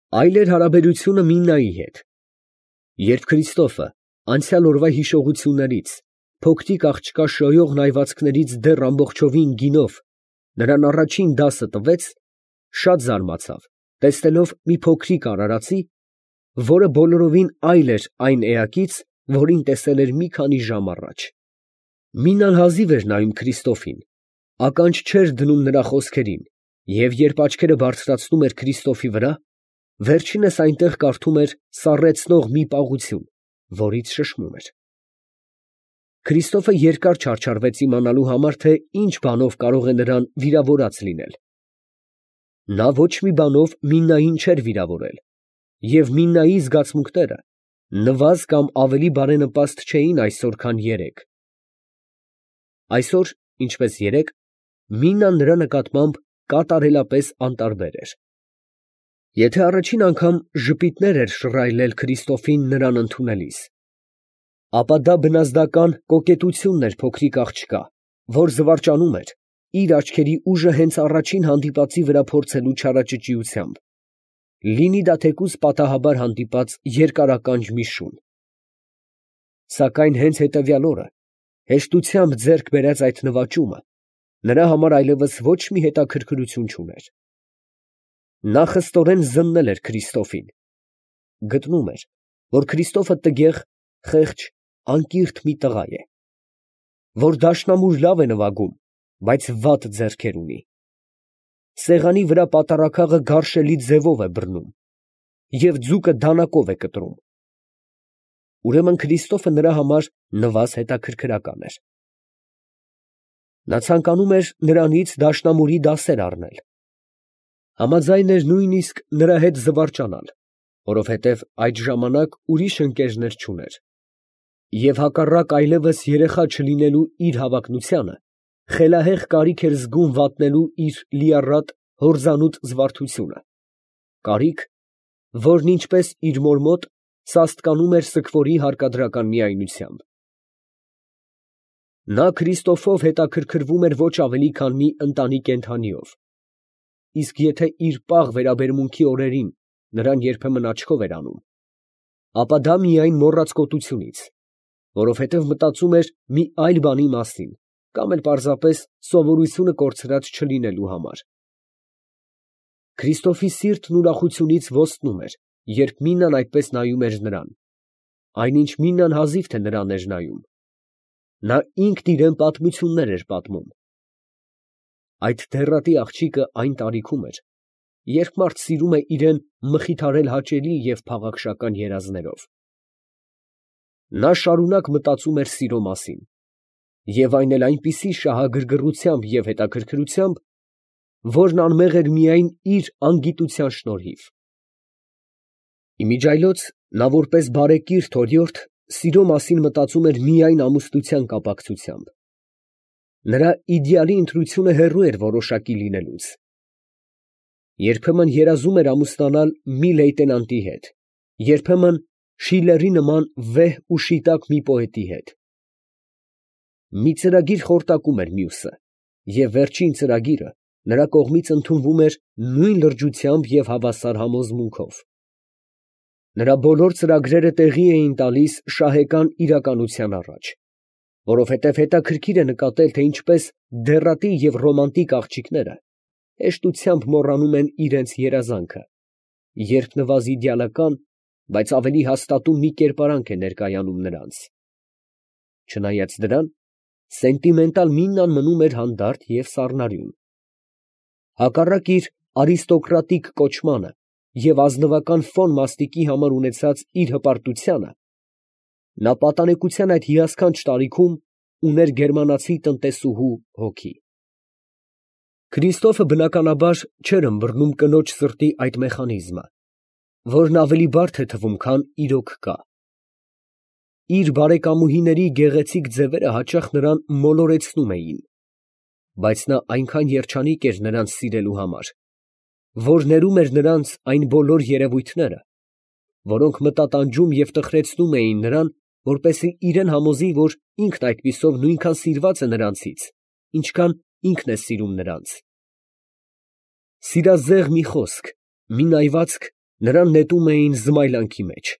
Այլ էր հարաբերությունը Միննայի հետ։ Երբ Քրիստոֆը անցյալ օրվա հիշողություններից, փոքրիկ աղջկա շոյող նայվածքներից դեռ ամբողջովին գինով նրան առաջին դասը տվեց, շատ զարմացավ, տեսնելով մի փոքրիկ արարածի, որը բոլորովին այլ էր այն էակից, որին տեսել էր մի քանի ժամ առաջ։ Մինան հազիվ էր նայում Քրիստոֆին, ականջ չէր դնում նրա խոսքերին, և երբ աչքերը բարձրացնում էր Քրիստոֆի վրա, վերջինս այնտեղ կարդում էր սառեցնող մի պաղություն, որից շշմում էր։ Քրիստոֆը երկար չարչարվեց իմանալու համար, թե ինչ բանով կարող է նրան վիրավորած լինել։ Նա ոչ մի բանով Միննային չէր վիրավորել, և Միննայի զգացմունքները նվազ կամ ավելի բարենպաստ չէին այսօր, քան երեկ։ Այսօր, ինչպես երեկ, Միննան նրա նկատմամբ կատարելապես անտարբեր էր։ Եթե առաջին անգամ ժպիտներ էր շռայլել Քրիստոֆին նրան ընդունելիս, ապա դա բնազդական կոկետությունն էր փոքրիկ աղջկա, որ զվարճանում էր, իր աչքերի ուժը հենց առաջին հանդիպածի վրա փորձելու չարաճճիությամբ, լինի դա թեկուզ պատահաբար հանդիպած երկարականջ մի շուն։ Սակայն հենց հետևյալ օրը հեշտությամբ ձեռք բերած այդ նվաճումը նրա համար այլևս ոչ մի հետաքրքրություն չուներ։ Նա խստորեն զննել էր Քրիստոֆին, գտնում էր, որ Քրիստոֆը տգեղ, խեղճ, անկիրթ մի տղա է, որ դաշնամուր լավ է նվագում, բայց վատ ձեռքեր ունի, սեղանի վրա պատառաքաղը գարշելի ձևով է բռնում և ձուկը դանակով է կտրում։ Ուրեմն Քրիստոֆը նրա համար նվազ հետաքրքրական էր։ Նա ցանկանում էր նրանից դաշնամուրի դասեր առնել, համաձայն էր նույնիսկ նրա հետ զվարճանալ, որովհետև այդ ժամանակ ուրիշ ընկերներ չուներ, և հակառակ այլևս երեխա չլինելու իր հավակնությանը, խելահեղ կարիք էր զգում վատնելու իր լիառատ հորձանուտ զվարթությունը, կարիք, որն ինչպես իր մոր մոտ սաստկանում էր սգվորի հարկադրական միայնությամբ։ Նա Քրիստոֆով հետաքրքրվում էր ոչ ավելի, քան մի ընտանի կենդանիով, իսկ եթե իր պաղ վերաբերմունքի օրերին նրան երբեմն աչքով էր անում, ապա դա միայն մոռացկոտությունից, որովհետև մտածում էր մի այլ բանի մասին, կամ էլ պարզապես սովորությունը կորցրած չլինելու համար։ Քրիստոֆի սիրտն ուրախությունից ոստնում էր, երբ Մինան այդպես նայում էր նրան, այնինչ Մինան հազիվ թե նրան էր նայում։ Նա ինքն իրան պատմություններ էր պատմում։ Այդ դեռատի աղջիկը այն տարիքում էր, երբ մարդ սիրում է իրան մխիթարել հաճելի և փաղաքշական երազներով։ Նա շարունակ մտածում էր սիրո մասին, և այն էլ այնպիսի շահագրգռությամբ և հետաքրքրությամբ, որն անմեղ էր միայն իր անգիտության շնորհիվ։ Իմիջիայլոց նա որպես բարեկիրթ օրիորդ սիրո մասին մտածում էր միայն ամուսնության կապակցությամբ։ Նրա իդեալի ընտրությունը հեռու էր որոշակի լինելուց։ Երբեմն երազում էր ամուսնանալ մի լեյտենանտի հետ, երբեմն Շիլլերի նման վեհ ու շիտակ մի պոետի հետ։ Մի ծրագիր խորտակում էր մյուսը, և վերջին ծրագիրը նրա կողմից ընդունվում էր նույն լրջությամբ և հավասար համոզմունքով։ Նրա բոլոր ծրագրերը տեղի էին տալիս շահեկան իրականության առաջ, որովհետև հետաքրքիր է նկատել, թե ինչպես դեռատի և ռոմանտիկ աղջիկները հեշտությամբ մոռանում են իրենց երազանքը, երբ նվազ իդեալական, բայց ավելի հաստատուն մի կերպարանք է ներկայանում նրանց։ Չնայած դրան, սենտիմենտալ Միննան մնում էր հանդարտ և սառնարյուն։ Հակառակ իր արիստոկրատիկ կոչմանը և ազնվական ֆոն մաստիկի համար ունեցած իր հպարտությանը, նա պատանեկության այդ հիասքանչ տարիքում ուներ գերմանացի տնտեսուհու հոգի։ Քրիստոֆը բնականաբար չէր ըմբռնում կնոջ սրտի այդ մեխանիզմը, որն ավելի բարդ է թվում, քան իրոք կա։ Իր բարեկամուհիների գեղեցիկ ձևերը հաճախ նրան մոլորեցնում էին, բայց նա այնքան երջանիկ էր նրանց սիրելու համար, որ ներում էր նրանց այն բոլոր երևույթները, որոնք մտատանջում և տխրեցնում էին նրան, որպեսզի իրան համոզի, որ ինքն այդպիսով նույնքան սիրված է նրանցից, ինչքան ինքն է սիրում նրանց։ Սիրազեղ մի խոսք, մի նայվածք նրան նետում էին զմայլանքի մեջ։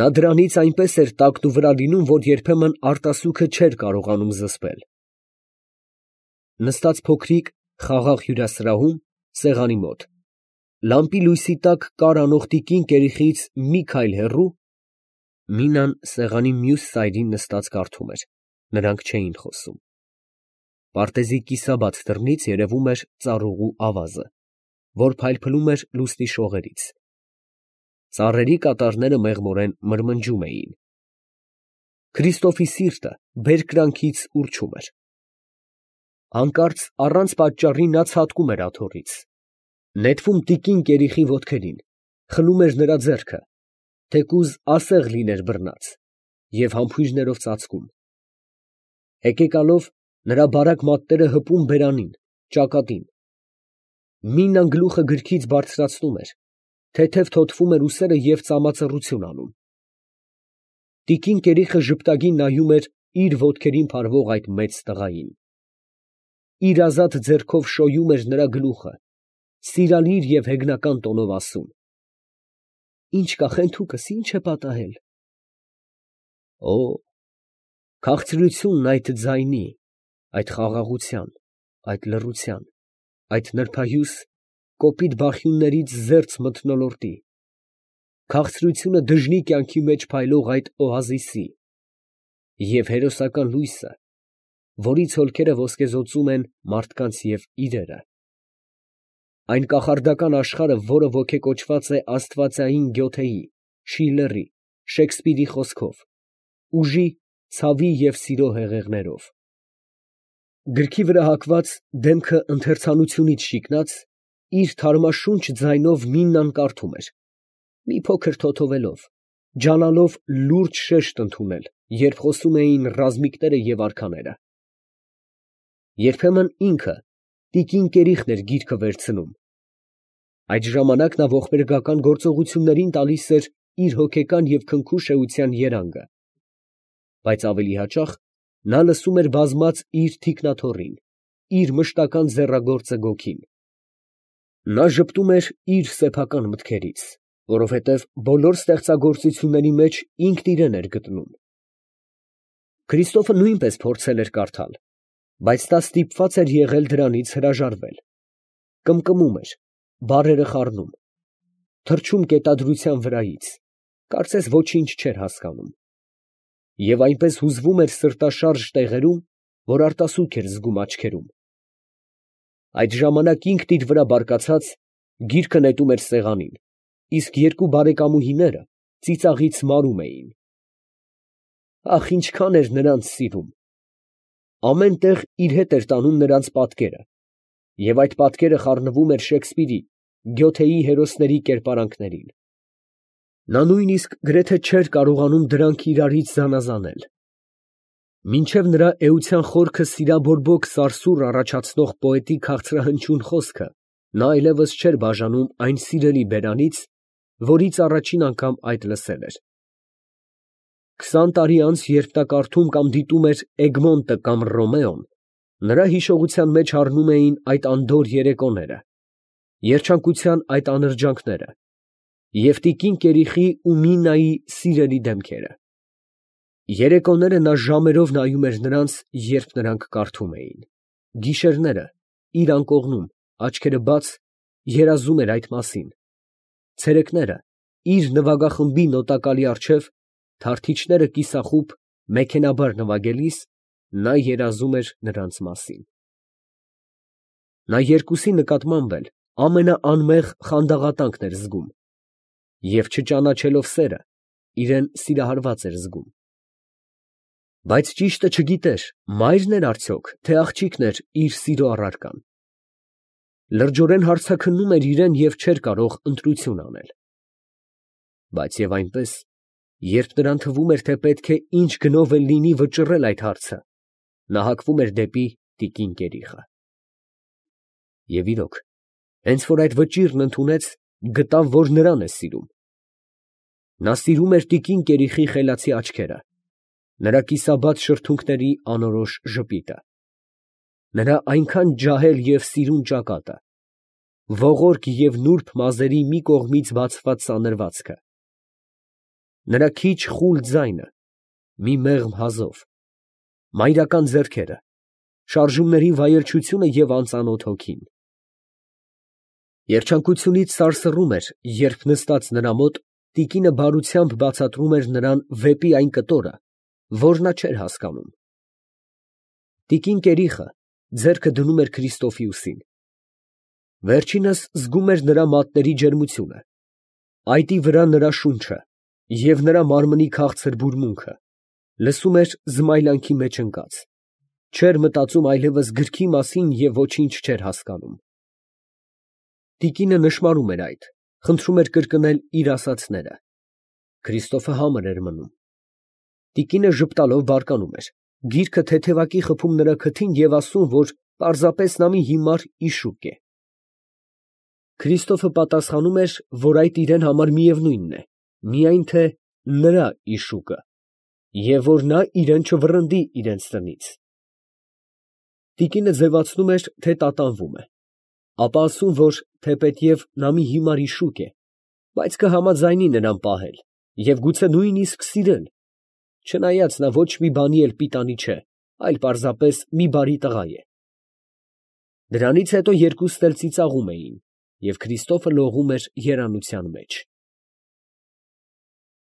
Նա դրանից այնպես էր տակն ու վրա լինում, որ երբեմն արտասուքը չէր կարողանում զսպել։ Նստած փոքրիկ, խաղաղ հյուրասրահում, սեղանի մոտ, լամպի լույսի տակ կար անող տիկին կերիխից մի քայլ հեռու, Մինան սեղանի մյուս սայրին նստած կարդում էր, նրանք չէին խոսում։ Պարտեզի կիսաբաց դռնից երևում էր ծառուղու ավազը, որ փայլփլում էր լուսնի շողերից։ Ծառերի կատարները մեղմորեն մրմնջում էին։ Քրիստոֆի սիրտը բերկրանքից ուռչում էր։ Հանկարծ առանց պատճառի նա ցատկում էր աթոռից, նետվում տիկին կերիխի ոտքերին, խլում էր նրա ձեռքը, թեկուզ ասեղ լիներ բռնած, և համբույրներով ծածկում։ Հեկեկալով նրա բարակ մատները հպում բերանին, ճակատին։ Մինան գլուխը գրքից բարձրացնում էր, թեթև թոթվում էր ուսերը և ծամածռություն անում։ Տիկին կերիխը ժպտագին նայում էր իր ոտքերին փարվող այդ մեծ տղային։ Իր ազատ ձեռքով շոյում էր նրա գլուխը, սիրալիր և հեգնական տոնով ասում. «Ինչ կա խենթուկս, ինչ է պատահել»։ Օ, քաղցրությունն այդ ձայնի, այդ խաղաղության, այդ լռության, այդ նրբայուս կոպիտ բախյուններից զերծ մթնոլորտի, քաղցրությունը դժնի կյանքի մեջ փայլող այդ օազիսի և հերոսական լույսը, որից հոլքերը ոսկեզօծում են մարդկանց և իրերը։ Այն կախարդական աշխարհը, որը ոգեկոչված է աստվածային Գյոթեի, Շիլլերի, Շեքսպիրի խոսքով, ուժի, ցավի և սիրո հեղեղներով։ Գրքի վրա հակված, դեմքը ընթերցանությունից շիկնած, իր թարմաշունչ ձայնով Մինան կարդում էր, մի փոքր թոթովելով, ջանալով լուրջ շեշտ ընդունել, երբ խոսում էին ռազմիկները և արքաները։ Երբեմն ինքը, տիկին կերիխն էր գիրքը վերցնում։ Այդ ժամանակ նա ողբերգական գործողություններին տալիս էր իր հոգեկան և քնքուշ էության երանգը, բայց ավելի հաճախ նա լսում էր բազմած իր թիկնաթոռին, իր մշտական ձեռագործը Գոգին։ Նա ժպտում էր իր սեփական մտքերից, որովհետև բոլոր ստեղծագործությունների մեջ ինքն իրան էր գտնում։ Քրիստոֆը նույնպես փորձել էր կարդալ, բայց նա ստիպված էր եղել դրանից հրաժարվել։ Կմկմում էր, բառերը խառնում, թռչում կետադրության վրայից, կարծես ոչինչ չէր հասկանում։ Եվ այնպես հուզվում էր սրտաշարժ տեղերում, որ արտասուք էր զգում աչքերում։ Այդ ժամանակ ինքն իր վրա բարկացած, գիրքը նետում էր սեղանին, իսկ երկու բարեկամուհիները ծիծաղից մարում էին։ Ախ, ինչքան էր նրանց սիրում։ Ամեն տեղ իր հետ էր տանում նրանց պատկերը, և այդ պատկերը խառնվում էր Շեքսպիրի, Գյոթեի հերոսների կերպարանքներին։ Նա նույնիսկ գրեթե չէր կարողանում դրանք իրարից զանազանել։ Մինչև նրա էության խորքը սիրաբորբոք սարսուռ առաջացնող պոետի քաղցրահնչյուն խոսքը, նա այլևս չէր բաժանում այն սիրելի բերանից, որից առաջին անգամ այդ լսել էր։ 20 տարի անց, երբ նա կարդում կամ դիտում էր Էգմոնտը կամ Ռոմեոն, նրա հիշողության մեջ հառնում էին այդ անդորր երեկոները, երջանկության այդ անրջանքները և տիկին կերիխի ու Մինայի սիրելի դեմքերը։ Երեկոները նա ժամերով նայում էր նրանց, երբ նրանք կարդում էին, գիշերները, իր անկողնում, աչքերը բաց, երազում էր այդ մասին, ցերեկները, իր նվագախմբի նոտակալի առջև, թարթիչները կիսախուբ, մեքենայաբար նվագելիս, նա երազում էր նրանց մասին։ Նա երկուսի նկատմամբ էլ ամենաանմեղ խանդաղատանքն էր զգում և, չճանաչելով սերը, իրան սիրահարված էր զգում։ Բայց ճիշտը չգիտեր մա՞յրն էր արդյոք, թե աղջիկն էր իր սիրո առարկան։ Լրջորեն հարցաքննում էր իրան և չէր կարող ընտրություն անել։ Բայց և այնպես, երբ նրան թվում էր, թե պետք է ինչ գնով էլ լինի վճռել այդ հարցը, նա հակվում էր դեպի տիկին կերիխը։ Եվ իրոք, հենց որ այդ վճիռն ընդունեց, գտավ, որ նրան է սիրում։ Նա սիրում էր տիկին կերիխի խելացի աչքերը, նրա կիսաբաց շրթունքների անորոշ ժպիտը, նրա այնքան ջահել և սիրուն ճակատը, ողորկ և նուրբ մազերի մի կողմից բացված սանրվածքը, նրա քիչ խուլ ձայնը, մի մեղմ հազով, մայրական ձեռքերը, շարժումների վայելչությունը և անծանոթ հոգին։ Երջանկությունից սարսռում էր, երբ նստած նրա մոտ, տիկինը բարությամբ բացատրում էր նրան վեպի այն կտորը, որ նա չէր հասկանում։ Տիկին կերիխը ձեռքը դնում էր Քրիստոֆի ուսին։ Վերջինս զգում էր նրա մատների ջերմությունը, այտի վրա նրա շունչը և նրա մարմնի քաղցր բուրմունքը, լսում էր զմայլանքի մեջ ընկած, չէր մտածում այլևս գրքի մասին և ոչինչ չէր հասկանում։ Տիկինը նշմարում էր այդ, խնդրում էր կրկնել իր ասածները։ Քրիստոֆը համր էր մնում։ Տիկինը ժպտալով բարկանում էր, գիրքը թեթևակի խփում նրա քթին և ասում, որ պարզապես նա մի հիմար իշուկ է։ Քրիստոֆը պատասխանում էր, որ այդ իրան համար միևնույնն է, միայն թե նրա իշուկը, և որ նա իրան չվռնդի իրենց տնից։ Տիկինը ձևացնում էր, թե տատանվում է, ապա ասում, որ թեպետև նա մի հիմար իշուկ է, բայց կհամաձայնի նրան պահել և գուցե նույնիսկ սիրել, չնայած նա ոչ մի բանի էլ պիտանի չէ, այլ պարզապես մի բարի տղա է։ Դրանից հետո երկուսն էլ ծիծաղում էին, և Քրիստոֆը լողում էր երանության մեջ։